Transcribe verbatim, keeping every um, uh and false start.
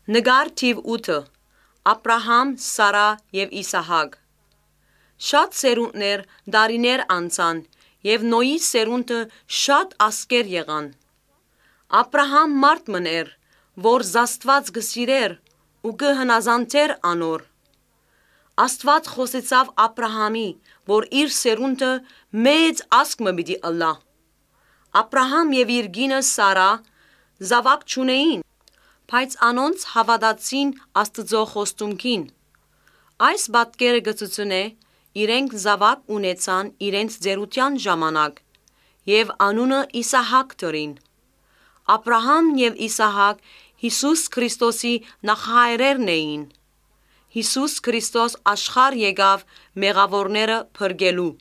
Նկար թիւ ութը։ Աբրահամ, Սարա եւ Իսահակ։ Շատ սերունդներ, տարիներ անցան, եւ Նոյի սերունդը շատ ազգեր եղան։ Աբրահամ մարդ մըն էր, որ Աստուած կը սիրէր ու կը հնազանդէր անոր։ Աստուած խօսեցաւ Աբրահամի, որ իր սերունդը մեծ ազգ մը պիտի ըլլայ։ Աբրահամ եւ իր կինը Սարա զաւակ չունէին, բայց անոնց հաւատացին Աստուծոյ խոստումքին։ Այս պատկերը կը ցուցնէ իրենք զաւակ ունեցան իրենց ծերութեան ժամանակ եւ անունը Իսահակ դրին։ Աբրահամ եւ Իսահակ Յիսուս Քրիստոսի նախահայրերն էին։ Յիսուս Քրիստոս աշխարհ եկաւ մեղաւորները փրկելու։